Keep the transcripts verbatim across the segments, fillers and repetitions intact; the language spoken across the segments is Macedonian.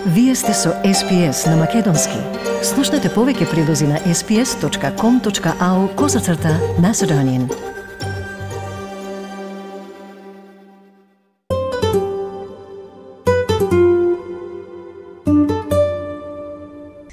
Вие сте со Ес Пи Ес на Македонски. Слушнете повеќе прилози на ес пи ес точка ком точка ау козацрта Macedonian.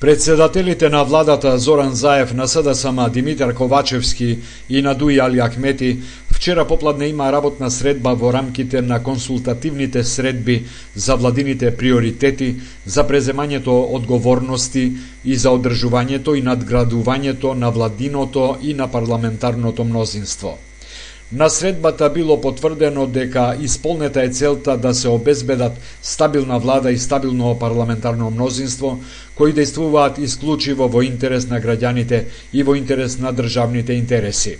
Председателите на владата Зоран Заев, на С Д С М Димитар Ковачевски и на Дуи Али Ахмети вчера попладне има работна средба во рамките на консултативните средби за владините приоритети, за преземањето одговорности и за одржувањето и надградувањето на владиното и на парламентарното мнозинство. На средбата било потврдено дека исполнета е целта да се обезбедат стабилна влада и стабилно парламентарно мнозинство, кои действуваат исклучиво во интерес на граѓаните и во интерес на државните интереси.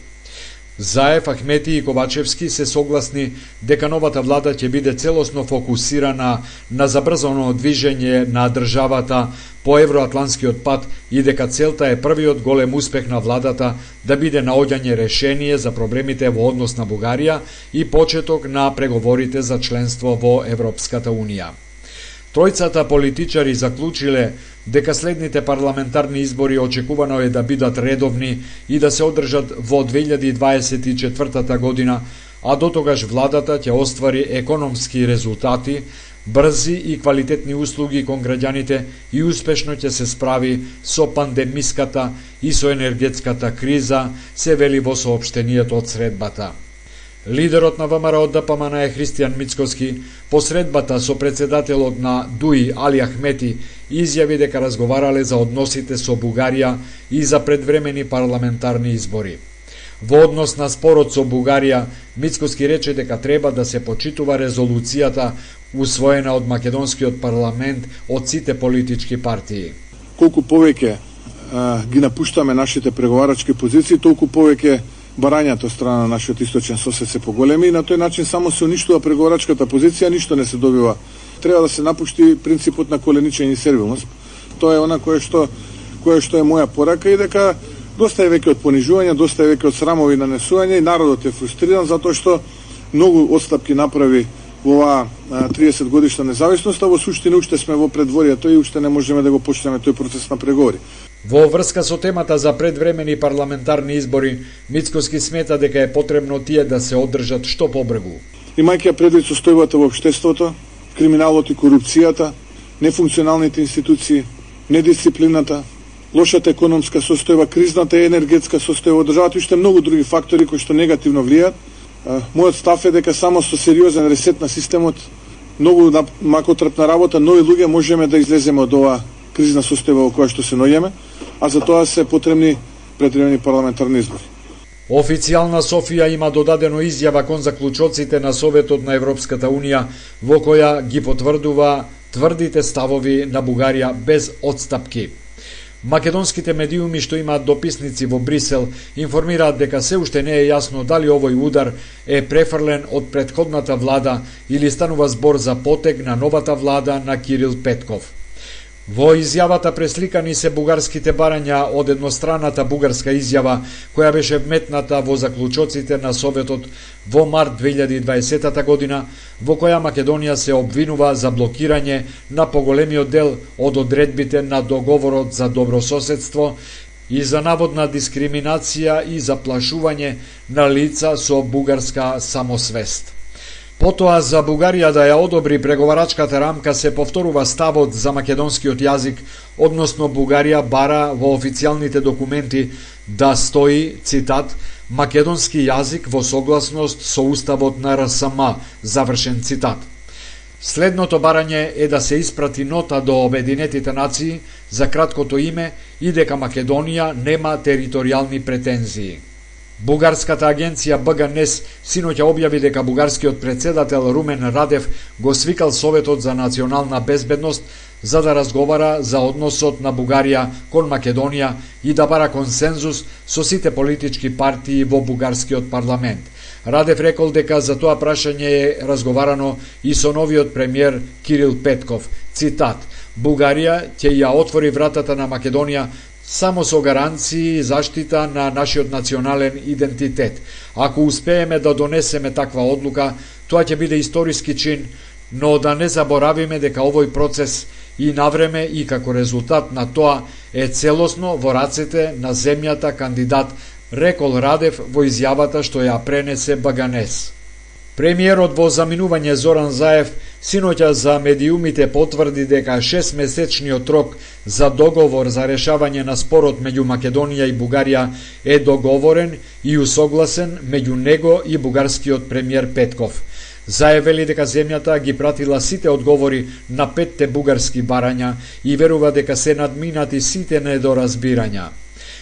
Заев, Ахмети и Ковачевски се согласни дека новата влада ќе биде целосно фокусирана на забрзано движење на државата по евроатланскиот пат и дека целта е првиот голем успех на владата да биде наоѓање решение за проблемите во однос на Бугарија и почеток на преговорите за членство во Европската Унија. Тројцата политичари заклучиле дека следните парламентарни избори очекувано е да бидат редовни и да се одржат во две илјади дваесет и четвртата година, а дотогаш владата ќе оствари економски резултати, брзи и квалитетни услуги кон граѓаните и успешно ќе се справи со пандемиската и со енергетската криза, се вели во соопштението од средбата. Лидерот на В М Р од Д П М Н е Христијан Мицкоски по средбата со председателот на Дуи Али Ахмети изјави дека разговарале за односите со Бугарија и за предвремени парламентарни избори. Во однос на спорот со Бугарија, Мицкоски рече дека треба да се почитува резолуцијата усвоена од македонскиот парламент од сите политички партии. Колку повеќе а, ги напуштаме нашите преговарачки позиции, толку повеќе барањата од страна на нашиот источен сосед се поголеми и на тој начин само се уништува преговарачката позиција, ништо не се добива. Треба да се напушти принципот на коленичење и сервилност. Тоа е она кое што кое што е моја порака и дека доста е веќе од понижување, доста е веќе од срамови нанесување и народот е фрустриран затоа што многу отстапки направи во оваа триесет годишна независност, а во суштина уште сме во предворието и уште не можеме да го почнеме тој процес на преговори. Во врска со темата за предвремени парламентарни избори, Мицкоски смета дека е потребно тие да се одржат што побрзо. Имајќи предвид состојбата во општеството, криминалот и корупцијата, нефункционалните институции, недисциплината, лошата економска состојба, кризната и енергетска состојба од државата и уште многу други фактори кои што негативно влијаат. Мојот став е дека само со сериозен ресет на системот, многу макотрпна работа, нови луѓе можеме да излеземе од оваа кризна состојба во која што се наоѓаме, а за тоа се потребни предвремени парламентарни избори. Официјална Софија има додадено изјава кон заклучоците на Советот на Европската Унија во која ги потврдува тврдите ставови на Бугарија без одстапки. Македонските медиуми што имаат дописници во Брисел информираат дека се уште не е јасно дали овој удар е префрлен од претходната влада или станува збор за потег на новата влада на Кирил Петков. Во изјавата пресликани се бугарските барања од едностранната бугарска изјава која беше вметната во заклучоците на Советот во март две илјади дваесета година, во која Македонија се обвинува за блокирање на поголемиот дел од одредбите на договорот за добрососедство и за наводна дискриминација и заплашување на лица со бугарска самосвест. Потоа за Бугарија да ја одобри преговарачката рамка се повторува ставот за македонскиот јазик, односно Бугарија бара во официјалните документи да стои, цитат, македонски јазик во согласност со уставот на Р С М, завршен цитат. Следното барање е да се испрати нота до Обединетите нации за краткото име и дека Македонија нема територијални претензии. Бугарската агенција Б Г Н Е С синоќа објави дека бугарскиот председател Румен Радев го свикал Советот за национална безбедност за да разговара за односот на Бугарија кон Македонија и да бара консензус со сите политички партии во бугарскиот парламент. Радев рекол дека за тоа прашање е разговарано и со новиот премиер Кирил Петков. Цитат: Бугарија ќе ја отвори вратата на Македонија само со гаранции и заштита на нашиот национален идентитет. Ако успееме да донесеме таква одлука, тоа ќе биде историски чин, но да не заборавиме дека овој процес и навреме и како резултат на тоа е целосно во рацете на земјата кандидат, рекол Радев во изјавата што ја пренесе Баганес. Премиерот во заминување Зоран Заев синоќа за медиумите потврди дека шестмесечниот рок за договор за решавање на спорот меѓу Македонија и Бугарија е договорен и усогласен меѓу него и бугарскиот премиер Петков. Заев вели дека земјата ги пратила сите одговори на петте бугарски барања и верува дека се надминати сите недоразбирања.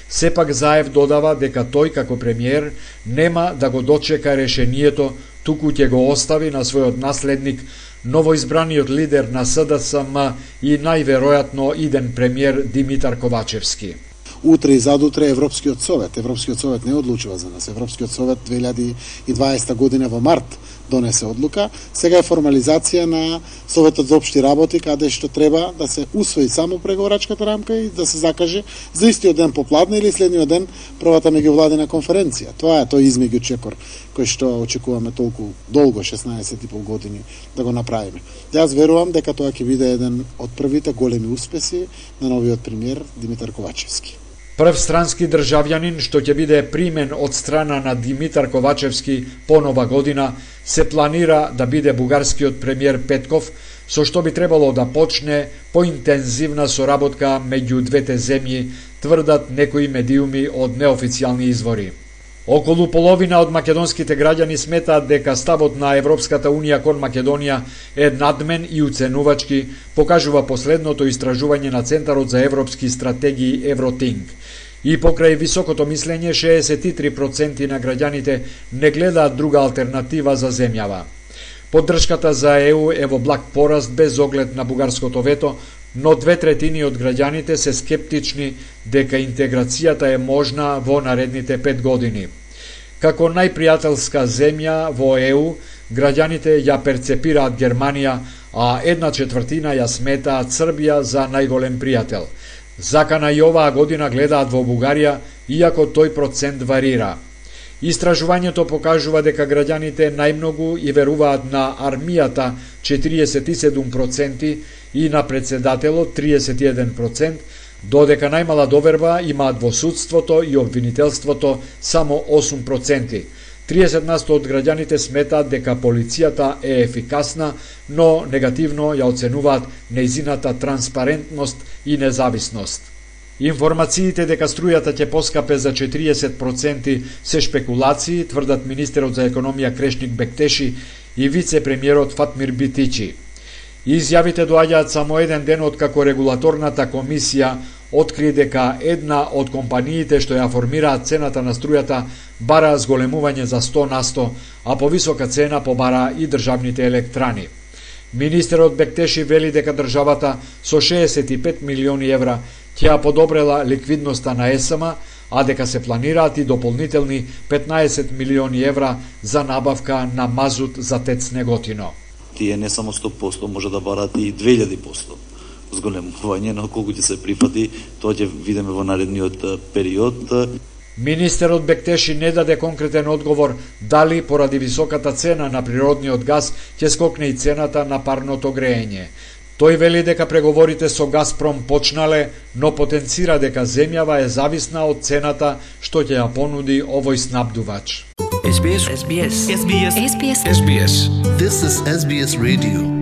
Сепак Заев додава дека тој како премиер нема да го дочека решението, туку ќе го остави на својот наследник, новоизбраниот лидер на С Д С М и најверојатно иден премиер Димитар Ковачевски. Утре и задутре Европскиот совет. Европскиот совет не одлучува за нас. Европскиот совет две илјади и дваесета година во март донесе одлука. Сега е формализација на Советот за општи работи, каде што треба да се усвои само преговорачката рамка и да се закаже за истиот ден попладне или следниот ден првата меѓувладина конференција. Тоа е тој измеѓу чекор кој што очекуваме толку долго, шеснаесет и пол години, да го направиме. Јас верувам дека тоа ќе биде еден од првите големи успеси на новиот премиер Димитар Ковачевски. Прв странски државјанин што ќе биде примен од страна на Димитар Ковачевски по нова година се планира да биде бугарскиот премиер Петков, со што би требало да почне поинтензивна соработка меѓу двете земји, тврдат некои медиуми од неофицијални извори. Околу половина од македонските граѓани сметаат дека ставот на Европската Унија кон Македонија е надмен и уценувачки, покажува последното истражување на Центарот за европски стратегии Евротинг. И покрај високото мислење, шеесет и три проценти на граѓаните не гледаат друга алтернатива за земјава. Поддршката за Е У е во благ пораст без оглед на бугарското вето, но две третини од граѓаните се скептични дека интеграцијата е можна во наредните пет години. Како најпријателска земја во Е У, граѓаните ја перцепираат Германија, а една четвртина ја сметаат Србија за најголем пријател. Закана и оваа година гледаат во Бугарија, иако тој процент варира. Истражувањето покажува дека граѓаните најмногу и веруваат на армијата четириесет и седум проценти и на председателот триесет и еден процент, додека најмала доверба имаат во судството и обвинителството само осум проценти. триесет насто од граѓаните сметаат дека полицијата е ефикасна, но негативно ја оценуваат нејзината транспарентност и независност. Информациите дека струјата ќе поскапе за четириесет проценти се шпекулации, тврдат министерот за економија Крешник Бектеши и вице-премиерот Фатмир Битичи. Изјавите доаѓаат само еден ден од како регулаторната комисија откри дека една од компаниите што ја формираат цената на струјата бара зголемување за сто насто, а повисока цена побара и државните електрани. Министерот Бектеши вели дека државата со шеесет и пет милиони евра ќе ја подобрела ликвидноста на Е С М, а дека се планираат и дополнителни петнаесет милиони евра за набавка на мазут за ТЕЦ Неготино. Тие не само сто проценти може да барат и две илјади проценти зголемување, но колку ќе се прифати, тоа ќе видиме во наредниот период. Министерот Бектеши не даде конкретен одговор дали поради високата цена на природниот газ ќе скокне и цената на парното греење. Тој вели дека преговорите со Газпром почнале, но потенцира дека земјава е зависна од цената што ќе ја понуди овој снабдувач. Ес Би Ес. Ес Би Ес. Ес Би Ес. Ес Би Ес. Ес Би Ес. This is Ес Би Ес Radio.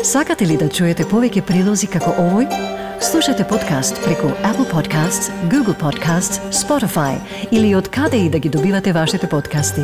Сакате ли да чуете повеќе прилози како овој? Слушате подкаст преку Apple Podcasts, Google Podcasts, Spotify или од каде и да ги добивате вашите подкасти.